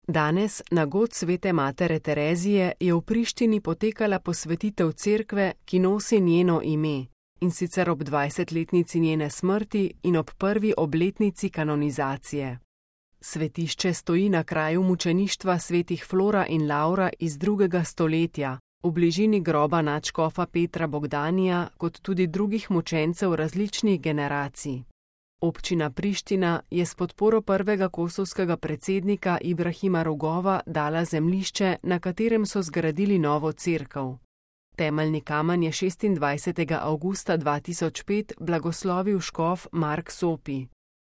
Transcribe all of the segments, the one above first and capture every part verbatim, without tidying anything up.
Danes, na god svete matere Terezije, je v Prištini potekala posvetitev cerkve, ki nosi njeno ime, in sicer ob dvajsetletnici njene smrti in ob prvi obletnici kanonizacije. Svetišče stoji na kraju mučeništva svetih Flora in Laura iz drugega stoletja, v bližini groba nadškofa Petra Bogdanija, kot tudi drugih mučencev različnih generacij. Občina Priština je s podporo prvega kosovskega predsednika Ibrahima Rugova dala zemljišče, na katerem so zgradili novo cerkev. Temeljni kamen je šestindvajsetega avgusta dva tisoč pet blagoslovil škof Mark Sopi.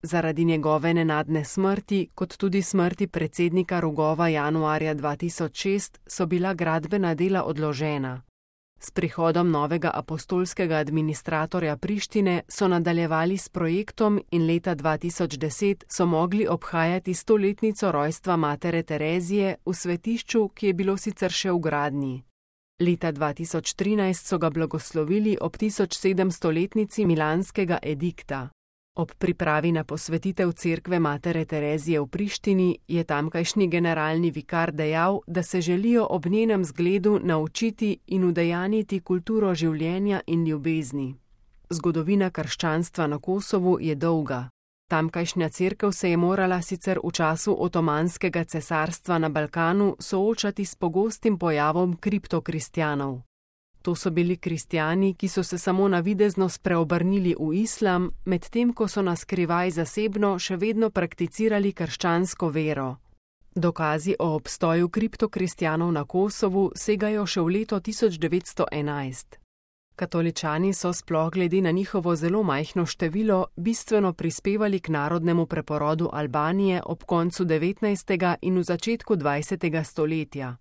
Zaradi njegove nenadne smrti, kot tudi smrti predsednika Rugova januarja dva tisoč šest, so bila gradbena dela odložena. S prihodom novega apostolskega administratorja Prištine so nadaljevali s projektom in leta dva tisoč deset so mogli obhajati stoletnico rojstva matere Terezije v svetišču, ki je bilo sicer še v gradnji. Leta dva tisoč trinajst so ga blagoslovili ob tisoč sedemstoletnici milanskega edikta. Ob pripravi na posvetitev cerkve matere Terezije v Prištini je tamkajšnji generalni vikar dejal, da se želijo ob njenem zgledu naučiti in udejaniti kulturo življenja in ljubezni. Zgodovina krščanstva na Kosovu je dolga. Tamkajšnja cerkev se je morala sicer v času Otomanskega cesarstva na Balkanu soočati s pogostim pojavom kriptokristjanov. To so bili kristjani, ki so se samo navidezno spreobrnili v islam, medtem ko so na skrivaj zasebno še vedno prakticirali krščansko vero. Dokazi o obstoju kriptokristjanov na Kosovu segajo še v leto tisoč devetsto enajst. Katoličani so sploh glede na njihovo zelo majhno število bistveno prispevali k narodnemu preporodu Albanije ob koncu devetnajstega in v začetku dvajsetega stoletja.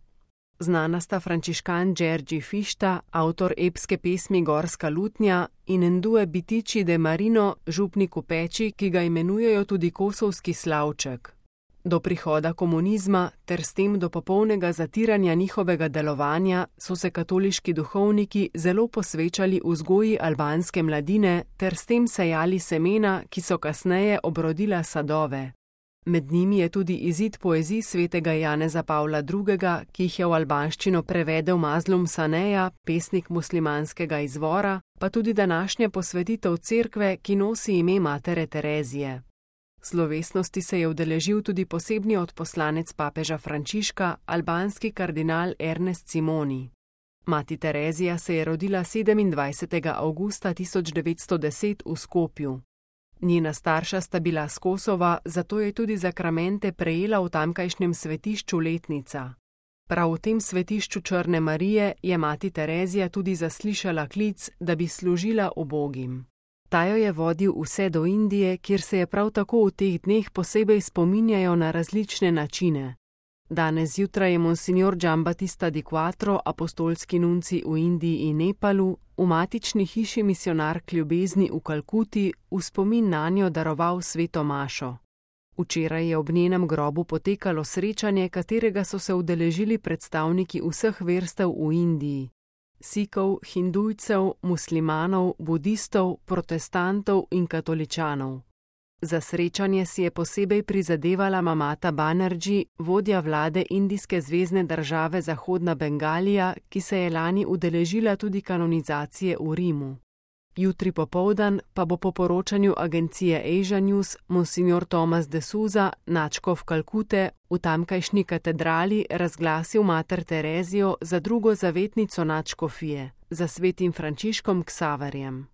Znana sta frančiškan Đerđi Fišta, avtor epske pesmi Gorska lutnja, in Endue Bitiči de Marino, župnik v Peči, ki ga imenujejo tudi kosovski slavček. Do prihoda komunizma ter s tem do popolnega zatiranja njihovega delovanja so se katoliški duhovniki zelo posvečali vzgoji albanske mladine ter s tem sejali semena, ki so kasneje obrodila sadove. Med njimi je tudi izid poezij svetega Janeza Pavla drugega, ki jih je v albanščino prevedel Mazlum Saneja, pesnik muslimanskega izvora, pa tudi današnja posvetitev cerkve, ki nosi ime matere Terezije. Slovesnosti se je udeležil tudi posebni odposlanec papeža Frančiška, albanski kardinal Ernest Simoni. Mati Terezija se je rodila sedemindvajsetega avgusta tisoč devetsto deset v Skopju. Njena starša sta bila s Kosova, zato je tudi zakramente prejela v tamkajšnjem svetišču letnica. Prav v tem svetišču Črne Marije je mati Terezija tudi zaslišala klic, da bi služila ubogim. Ta jo je vodil vse do Indije, kjer se je prav tako v teh dneh posebej spominjajo na različne načine. Danes zjutraj je monsignor Giambattista di Quattro, apostolski nunci v Indiji in Nepalu, v matični hiši Misionark ljubezni v Kalkuti v spomin nanjo daroval sveto mašo. Včeraj je ob njenem grobu potekalo srečanje, katerega so se udeležili predstavniki vseh verstev v Indiji. Sikov, hindujcev, muslimanov, budistov, protestantov in katoličanov. Za srečanje si je posebej prizadevala Mamata Banerjee, vodja vlade indijske zvezne države Zahodna Bengalija, ki se je lani udeležila tudi kanonizacije v Rimu. Jutri popoldan pa bo po poročanju agencije Asia News monsignor Thomas de Souza, nadškof Kalkute, v tamkajšnji katedrali razglasil mater Terezijo za drugo zavetnico nadškofije, za svetim Frančiškom Ksaverjem.